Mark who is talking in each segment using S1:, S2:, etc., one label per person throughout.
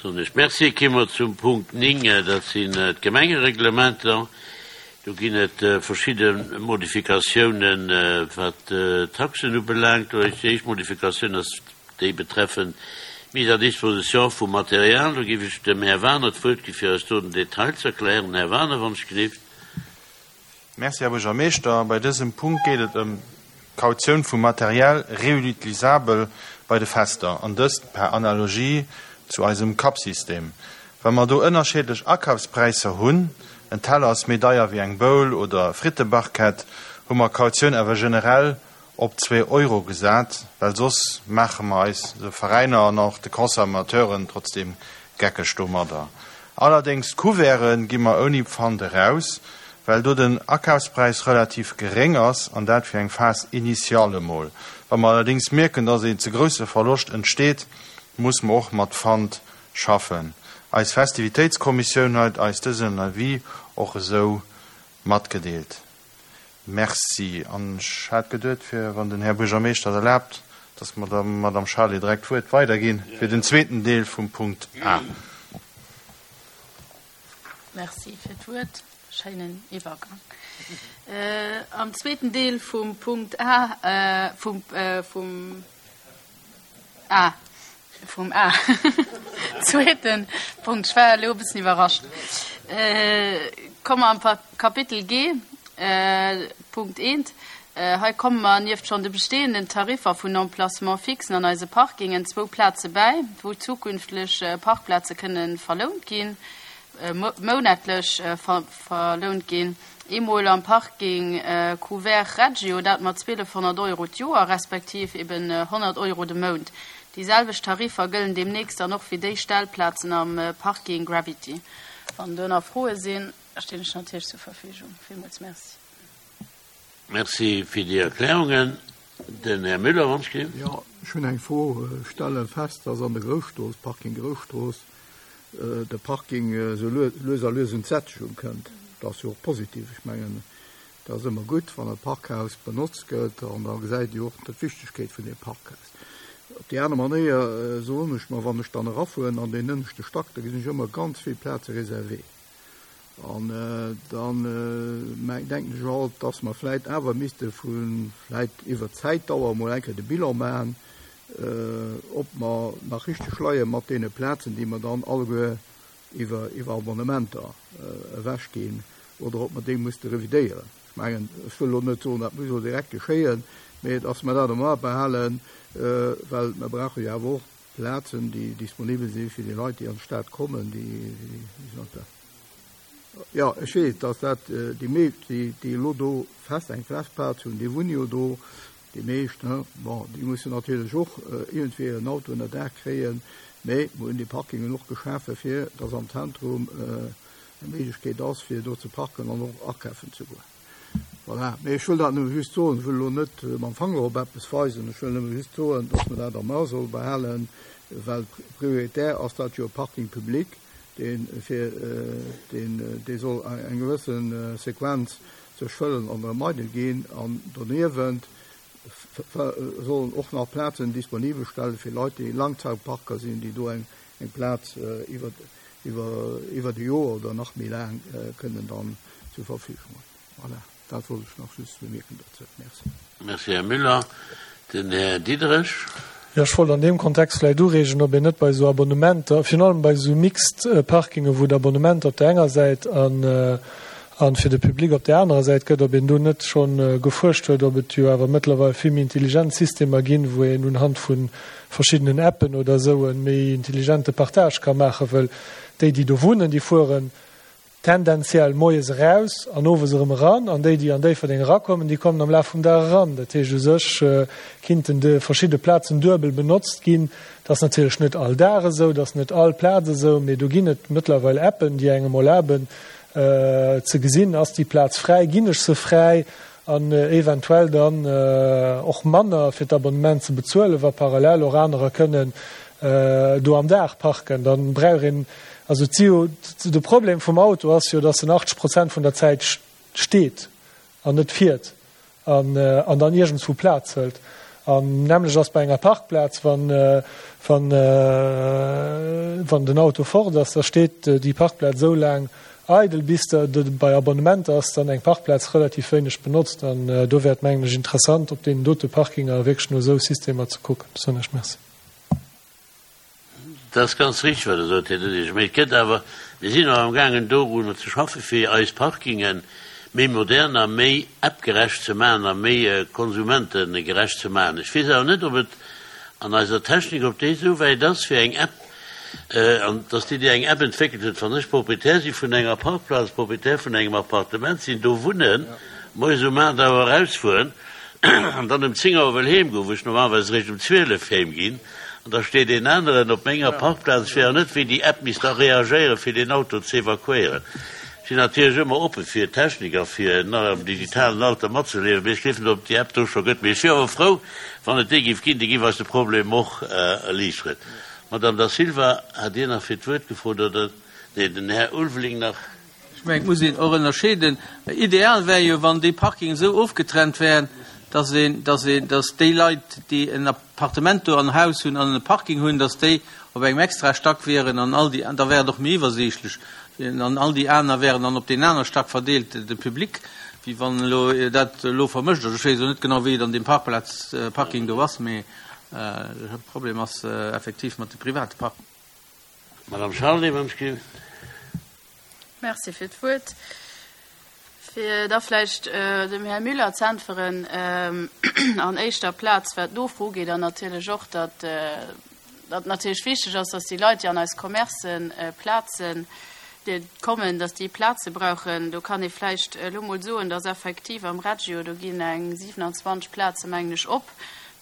S1: Soen ech Merci. Ki mer zum Punkt 9, dat sinn d'Gemengereglementer. Do ginn et verschidde Modifikatiounen, wat d'Taxen ubelaangt. Do déi éischt Modifikatioun ass déi betreffend d'Mise à disposition vum Material. Do géif ech dem Här Wagener d'Wuert gi fir eis do den Detail ze erklären. Här Wagener, wann ech gelift.
S2: Merci, Här Buergermeeschter. Bei dësem Punkt geet et ëm d'Kautioun vu Matériel réutilisabel bei de Fester, an dëst per Analogie zu eisem Cup-System. Wa mer do ënnerscheedlech Akafspräisser hunn, en Teller ass méi deier wéi eng Bowl oder Frittebarquette, hu mer d'Kautioun awer generell op zwee Euro gesat, well soss maache mer eis, de Veräiner an och de Consommateuren, trotzdeem geckeg domadder. Allerdéngs d'Couverte gi mer ouni Pfand eraus, well do den Akafspräis relativ geréng ass, an dat fir eng Phase initiale emol. Wa mer allerdéngs mierken, dass een ze grousse Verloscht entsteet, muss mer och mat Pfand schaffen. Eis Festivitéitskommissioun huet eis dësen Avis och esou matgedeelt. Merci. An ech hat geduet, fir, wann den Här Buergermeeschter et erlaabt, dass mer der Madame Charlé direkt d'Wuert weiderginn fir den zweeten Deel vum Punkt A.
S3: Merci fir d'Wuert. Schéinen Iwwergang. Am zweeten Deel vum Punkt A, vum, vum A, vum A, zweeten Punkt, ech war elo e bëssen iwwerrascht, komme mer am Kapitel G, Punkt eent. Hei komme mer nieft schonn de bestehenden Tariffer vun Emplacements fixen an eise Parkingen zwou Plaze bäi, wou zukünftlech Parkplaze kënne verlount ginn, mounatlech verlount ginn. Eemol am Parking Couvert Reggio, dat mat 1.200 Euro d'Joer, respektiv eben 100 Euro de Mount. Déi selwecht Tariffer gëllen deemnächst dann och fir déi Stellplazen am Parking Gravity. Wann do nach Froe sinn, stinn ech natierlech zur Verfügung. Villmools Merci.
S1: Merci fir déi Erklärungen. Den Här Müller, wann ech gelift.
S4: Jo, ech hunn eng Fro. Ech stelle fest, dass an der Grousstrooss, Parking Grousstrooss, de Parking esou lues a lues un d'Sättegung kënnt. Dat ass jo och positiv. Ech mengen, dat ass ëmmer gutt, wann e Parkhaus benotzt gëtt an da gesäit ee jo och d'Wichtegkeet vun deem Parkhaus. Op déi aner Manéier soen ech mer, wann ech dann erafueren an deen ënneschte Stack, da gesinn ech ëmmer ganz vill Plaze réservées. An dann denken ech alt, dass mer vläit awer misste vu vläit iwwert d'Zäitdauer emol eng Kéier de Bilan maachen, ob mer nach richteg leie mat deene Plazen, déi mer dann alleguer iwwer iwwer Abonnementer ewechginn, oder ob mer déi musste revidéieren. Ech mengen, ech wëll elo net soen, dat muss elo direkt geschéien, mee dass mer dat am A behalen, well mer brauche jo awer och Plazen, déi disponibel si fir déi Leit, déi an d'Stad kommen, déi, jo, ech weess, dass dat déi meescht, déi, déi elo do fest eng fest Plaz hunn, déi wunne jo do, déi meescht, ne. Bon, déi mussen natierlech och iergendwéi en Auto ënner Daach kréien, mä mer hunn déi Parkingen och geschafe fir dass am Zentrum eng Méiglechkeet ass, fir do ze parken an och akafen ze goen. Voilà, mee ech wëll dat nëmme just soen, ech wëll elo net mam Fanger op eppes weisen, ech wëll nëmme just soen, dass mer dat am A solle behalen, well prioritär ass dat jo e Parking public, dee fir deen, dee soll eng gewësse Sequenz sech fëllen an erëm eidel ginn an doniewent sollen och nach Plazen disponibel stelle fir Leit, déi Langzeitparker sinn, déi do eng Plaz iwwer iwwer e Joer oder nach méi laang kënnen dann zur Verfügung hunn. Voilà, dat wollt ech nach just bemierken dozou. Merci.
S1: Merci, Här Müller. Den Här Diderich.
S5: Jo, ech wollt an deem Kontext vläicht ureegen, ob een net bei esou Abonnementer, virun allem bei esou mixed Parkingen, wou et Abonnementer op där enger Säit an a fir de Public op där anerer Säit gëtt, ob een do net scho gefuerscht huet, ob et jo awer mëttlerweil vill méi intelligent Systemer ginn, wou een unhand vu verschiddenen Appen oder esou e méi intelligente Partage ka maachen, wëll déi, déi do wunnen, déi fueren tendenziell moies eraus an owes erëm eran, an déi, déi an Déifferdeng erakommen, déi kommen am Laf vum Dag eran. Dat heescht, u sech kinnten déi verschidde Plazen duebel benotzt ginn. Dat ass natierlech net all Dag esou, dat ass net all Plaz esou, mee do ginn et mëttlerweil Appen, déi engem erlaben ze gesinn, ass déi Plaz fräi, ginn ech se fräi, an eventuell dann och manner fir d'Abonnement ze bezuelen, wa parallel och anerer kënnen do am Dag parken. Dann brauch een, also et si jo, de Problem vum Auto ass jo, dass en 80 Prozent vun der Zäit steet an net fiert an an dann iergendswou Plaz hëlt. An nämmlecht ass bei enger Parkplaz, wann, wann. wann den Auto fort ass, da steet déi Parkplaz esou laang eidel, bis der bei Abonnementer ass dann eng Parkplaz relativ wéineg benotzt. An do wär et, mengen ech, interessant, op deenen dote Parkinger wierklech no esou Systemer ze kucken. Soen ech Merci.
S1: Dat ass ganz richtig, wat Der sot, Här Dudesch. Mee et gëtt awer, mir sinn och amgaangen dorunner ze schaffen, fir eis Parkinge méi modern a méi appgerecht ze maachen a méi konsumentegerecht ze maachen. Ech weess awer net, ob et an eiser Technik, ob déi esou wäit ass, fir eng App, an dass déi, déi eng App entwéckelt huet, wann ech Proprietär si vun enger Parkplaz, Proprietär vun engem Appartement sinn, do wunnen, moies um 8 Auer erausfueren an dann um 10 Auer wëll heemgoen, wou ech normalerweis eréischt um 12 heemginn, An da steet een aneren op menger Parkplaz. Ech weess och net, wéi déi App misst da reagéieren, fir deen Auto ze evakuéieren. Ech sinn natierlech ëmmer oppe fir Technik a fir nach am digitalen Alter matzeliewen, mee ech gleefen net, ob et déi App do scho gëtt. Mee ech wier awer frou, wann et déi géif ginn. Déi géif eis de Problem och erliichteren. Madame Da Silva, hat Dir nach fir d'Wuert gefrot, oder? Nee, den Här Ulveling nach.
S6: Ech mengen, et muss een och ënnerscheeden. Ideal wär jo, wann déi Parkingen esou ofgetrennt wären, dass een, dass een, dass déi Leit, déi en Appartement do an Haus hunn an e Parking hunn, dass déi op engem extrae Stack wieren an all déi, da wär et och méi iwwersiichtlech, an all déi aner wären dann op deen aner Stack verdeelt, de Public, wéi wann elo dat elo vermëscht ass. Ech weess elo net genau, wéi et an deem Parkplaz, Parking do ass, mee de Problem ass effektiv mat de private Parkingen.
S1: Madame Charlé, wann ech ginn.
S3: Merci fir d'Wuert. Fir da vläicht dem Här Müller ze äntweren, an éischter Plaz wat d'Nofro ugeet an natierlech och, datt datt natierlech wichteg ass, datt déi Leit, déi an eis Commercen Plazen kommen, datt déi Plaze brauchen. Do kann ee vläicht elo mol soen, datt effektiv am Reggio, do ginn eng 27 Plaze mengen ech op,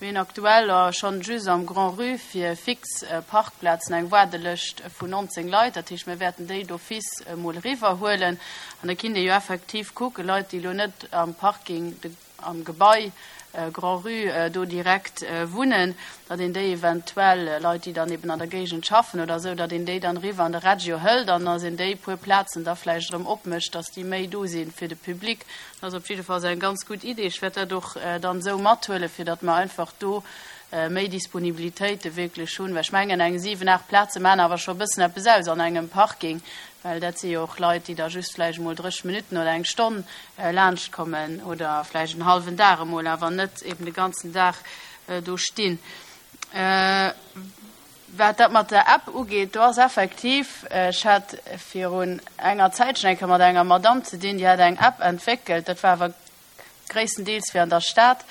S3: Mir hunn aktuell schonn just am Grand-Rue fir fix Parkplazen eng Waardelëscht vun 19 Leit. Dat heescht, mir wäerten déi d'office emol eriwwerhuelen. An da kinnt ee jo effektiv kucken, Leit, déi elo net am Parking, am Gebai Grand-Rue do direkt wunnen, datt een déi eventuell, Leit, déi dann eben an der Géigend schaffen oder esou, datt een déi dann eriwwer an de Reggio hëlt an datt een déi puer Plazen da vläicht erëm opmécht, datt déi méi do si fir de Public. Dat ass op jiddefalls eng ganz gutt Idee. Ech wäert dat och dann esou mathuelen, fir datt mer einfach do méi Disponibilitéite wierklech hunn. Well ech mengen, eng siwen, aacht Plaze maachen awer scho e bëssen eppes aus an engem Parking, well dat si jo och Leit, déi da just vläicht emol 30 Minutten oder eng Stonn laanschtkommen oder vläicht en hallwen Dag emol, awer net eben de ganzen Dag do stinn. Wat dat mat der App ugeet, do ass effektiv, ech hat virun enger Zäitchen eng Kéier mat enger Madamm ze dinn, déi hat eng App entwéckelt, dat war awer gréisstendeels fir an der Stad,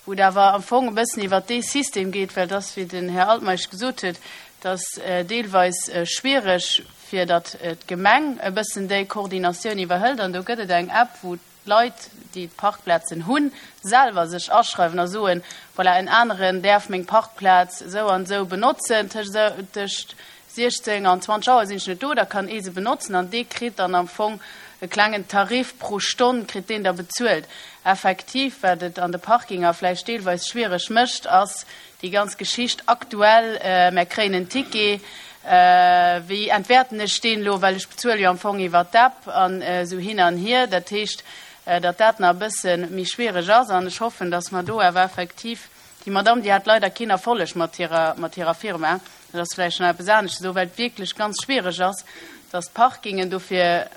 S3: wou et awer am Fong e bëssen iwwert dee System geet, well et ass, wéi den Här Altmeisch gesot huet, et ass deelweis schwiereg, fir datt d'Gemeng e bëssen déi Koordinatioun iwwerhëlt. An do gëtt et eng App, wou d'Leit, déi d'Parkplazen hunn, selwer sech aschreiwen a soen, voilà, en aneren däerf meng Parkplaz esou an esou benotzen, tëscht 16 an 20 Auer sinn ech net do, da kann ee se benotzen an dee kritt dann am Fong e klengen Tarif pro Stonn kritt deen da bezuelt. Effektiv, wat et an de Parkinger vläicht deelweis schwiereg mécht, ass déi ganz Geschicht aktuell, mär kréien en Ticket, wéi entwäerten ech deen elo, well ech bezuele jo am Fong iwwer d'App an esou hin an hier. Dat heescht, datt dat nach e bësse méi schwiereg ass an ech hoffen, datt mer do awer effektiv, déi Madamm, déi hat leider keen Erfolleg mat hirer, mat hirer Firma, dat ass vläicht nach eppes anescht esou, well et wierklech ganz schwiereg ass, datt d'Parkingen dofir,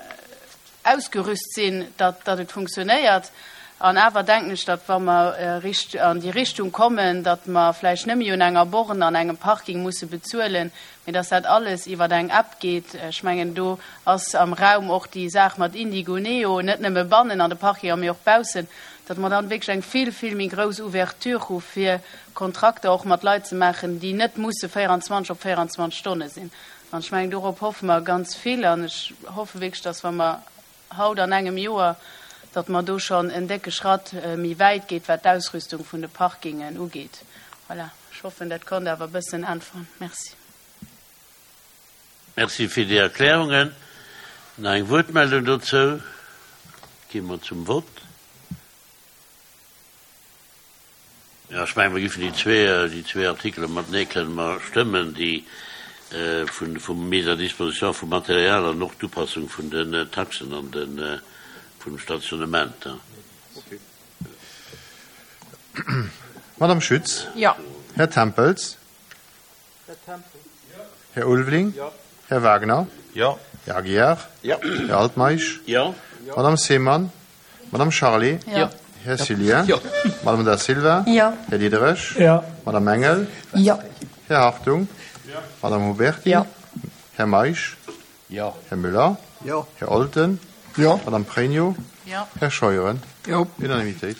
S3: ausgerüst sinn, datt datt et funktionéiert. An awer denken ech, datt wa mer richt an déi Richtung kommen, datt mer vläicht net méi un enger Borne an engem Parking musse bezuelen, mee datt dat alles iwwer eng App geet. Ech mengen, do ass am Raum och déi Saach mat Indigo Neo, net nëmme bannen an de Parkinger, mee och baussen, datt mer dann wierklech eng vill, vill méi grouss Ouverture hu fir Kontrakter och mat Leit ze maachen, déi net musse 24 op 24 Stonne sinn. An ech mengen, dorop hoffe mer ganz vill. An ech hoffe wierklech, dass, wa mer haut an engem Joer, datt mer do schonn en décke Schratt méi wäit geet, wat d'Ausrüstung vun de Parkingen ugeet. Voilà, ech hoffen, dat konnt awer e bëssen äntweren. Merci.
S1: Merci fir déi Erklärungen. Nach eng Wuertmeldung dozou? Gi mer zum Vott. Jo, ech mengen, mer giffen déi zwee, déi zwee Artikele matenee kënnen mer stëmmen, déi vun, vum Mise à disposition vum Material an och d'Upassung vun den Taxen an de vum Stationnement.
S2: Okay. Madame Schütz?
S3: Jo.
S2: Här Tempels?
S6: Här Tempels.
S2: Här Ulveling?
S6: Jo.
S7: Här Wagner?
S2: Jo.
S7: Här Aguiar?
S1: Jo.
S7: Här Altmeisch?
S1: Jo.
S7: Madame Seemann? Madame Charlé?
S3: Jo.
S7: Här Cillien?
S6: Jo.
S7: Madame Da Silva?
S8: Jo.
S7: Här Diderich?
S5: Jo.
S7: Madame Engel?
S8: Jo.
S7: Här Hartung?
S2: Jo.
S7: Madame Huberty?
S8: Jo.
S7: Här Meisch?
S1: Jo.
S7: Här Müller?
S4: Jo.
S7: Här Olten?
S4: Jo.
S7: Madame Pregno?
S3: Jo.
S7: Här Scheuren?
S4: Jo.
S7: Unanimitéit.